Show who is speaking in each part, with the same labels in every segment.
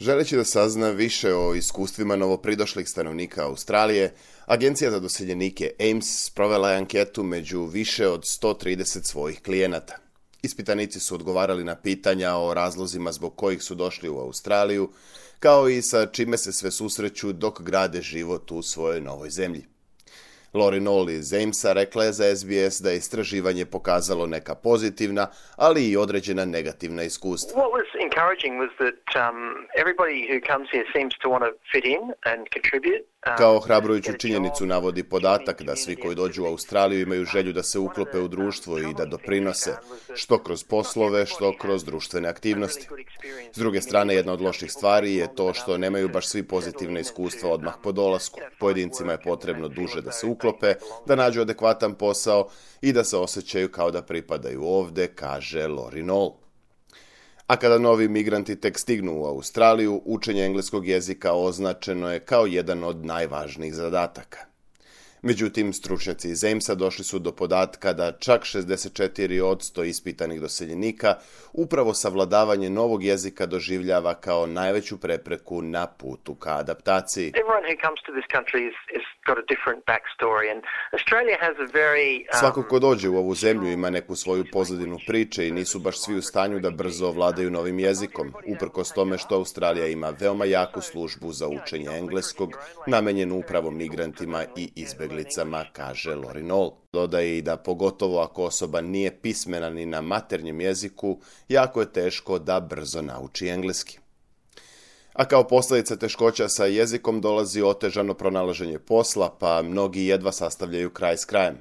Speaker 1: Želeći da sazna više o iskustvima novopridošlih stanovnika Australije, Agencija za doseljenike AIMS sprovela je anketu među više od 130 svojih klijenata. Ispitanici su odgovarali na pitanja o razlozima zbog kojih su došli u Australiju, kao i sa čime se sve susreću dok grade život u svojoj novoj zemlji. Lori Noll iz AIMS-a rekla je za SBS da je istraživanje pokazalo neka pozitivna, ali i određena negativna iskustva.
Speaker 2: What was encouraging was that everybody who comes here seems to want to fit in and contribute.
Speaker 1: Kao ohrabrujuću činjenicu navodi podatak da svi koji dođu u Australiju imaju želju da se uklope u društvo i da doprinose, što kroz poslove, što kroz društvene aktivnosti. S druge strane, jedna od loših stvari je to što nemaju baš svi pozitivne iskustva odmah po dolasku. Pojedincima je potrebno duže da se uklope, da nađu adekvatan posao i da se osjećaju kao da pripadaju ovde, kaže Lori Noll. A kada novi migranti tek stignu u Australiju, učenje engleskog jezika označeno je kao jedan od najvažnijih zadataka. Međutim, stručnjaci iz AIMS-a došli su do podatka da čak 64% ispitanih doseljenika upravo savladavanje novog jezika doživljava kao najveću prepreku na putu ka adaptaciji. Svako ko dođe u ovu zemlju ima neku svoju pozadinu priče i nisu baš svi u stanju da brzo ovladaju novim jezikom, uprkos tome što Australija ima veoma jaku službu za učenje engleskog, namenjenu upravo migrantima i izbeglicama, kaže Lori Noll. Dodaje i da pogotovo ako osoba nije pismena ni na maternjem jeziku, jako je teško da brzo nauči engleski. A kao posljedica teškoća sa jezikom dolazi otežano pronalaženje posla, pa mnogi jedva sastavljaju kraj s krajem.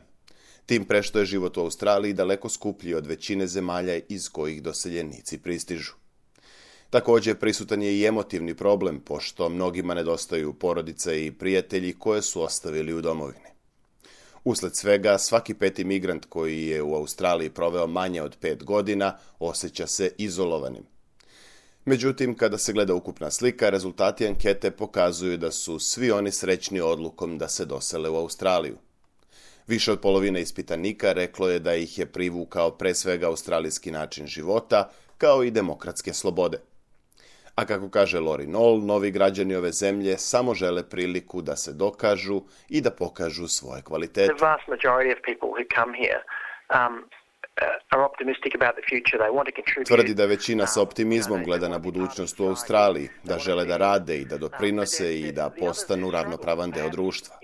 Speaker 1: Tim pre što je život u Australiji daleko skuplji od većine zemalja iz kojih doseljenici pristižu. Također prisutan je i emotivni problem, pošto mnogima nedostaju porodice i prijatelji koje su ostavili u domovini. Usled svega, svaki peti migrant koji je u Australiji proveo manje od 5 godina osjeća se izolovanim. Međutim, kada se gleda ukupna slika, rezultati ankete pokazuju da su svi oni srećni odlukom da se dosele u Australiju. Više od polovine ispitanika reklo je da ih je privukao pre svega australijski način života, kao i demokratske slobode. A kako kaže Lori Noll, novi građani ove zemlje samo žele priliku da se dokažu i da pokažu svoje kvalitete. Tvrdi da većina sa optimizmom gleda na budućnost u Australiji, da žele da rade i da doprinose i da postanu ravnopravan deo društva.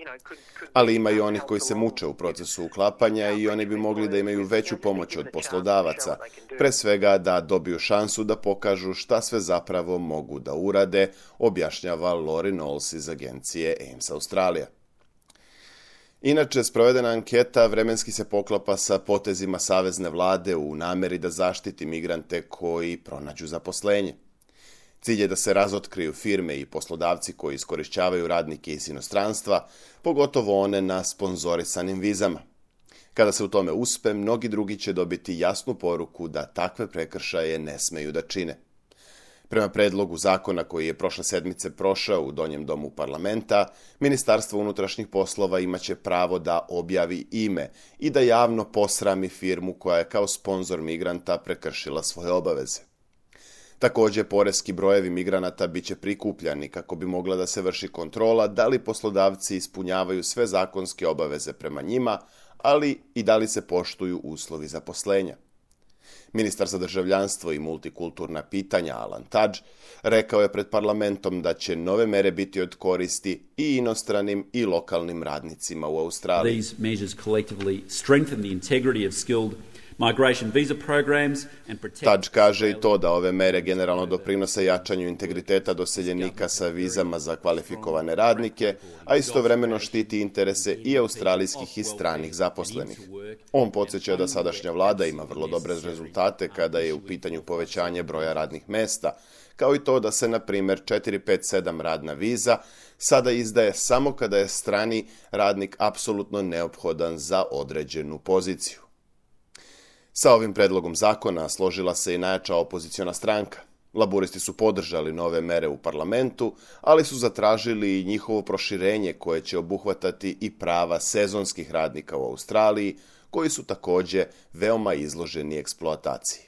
Speaker 1: Ali ima i onih koji se muče u procesu uklapanja i oni bi mogli da imaju veću pomoć od poslodavaca, pre svega da dobiju šansu da pokažu šta sve zapravo mogu da urade, objašnjava Lori Noll iz agencije AIMS Australija. Inače, sprovedena anketa vremenski se poklapa sa potezima savezne vlade u nameri da zaštiti migrante koji pronađu zaposlenje. Cilj je da se razotkriju firme i poslodavci koji iskorišćavaju radnike iz inostranstva, pogotovo one na sponzorisanim vizama. Kada se u tome uspe, mnogi drugi će dobiti jasnu poruku da takve prekršaje ne smeju da čine. Prema predlogu zakona koji je prošle sedmice prošao u Donjem domu parlamenta, Ministarstvo unutrašnjih poslova imaće pravo da objavi ime i da javno posrami firmu koja je kao sponzor migranta prekršila svoje obaveze. Također, poreski brojevi migranata biće prikupljani kako bi mogla da se vrši kontrola da li poslodavci ispunjavaju sve zakonske obaveze prema njima, ali i da li se poštuju uslovi zaposlenja. Ministar za državljanstvo i multikulturna pitanja Alan Tudge rekao je pred parlamentom da će nove mere biti od koristi i inostranim i lokalnim radnicima u Australiji.
Speaker 3: These measures collectively strengthen the integrity of skilled migration visa programs and protect...
Speaker 1: Tudge kaže i to da ove mere generalno doprinose jačanju integriteta doseljenika sa vizama za kvalifikovane radnike, a istovremeno štiti interese i australijskih i stranih zaposlenih. On podsjeća da sadašnja vlada ima vrlo dobre rezultate kada je u pitanju povećanje broja radnih mesta, kao i to da se, na primjer, 457 radna viza sada izdaje samo kada je strani radnik apsolutno neophodan za određenu poziciju. Sa ovim predlogom zakona složila se i najjača opoziciona stranka. Laburisti su podržali nove mere u parlamentu, ali su zatražili i njihovo proširenje koje će obuhvatati i prava sezonskih radnika u Australiji, koji su također veoma izloženi eksploataciji.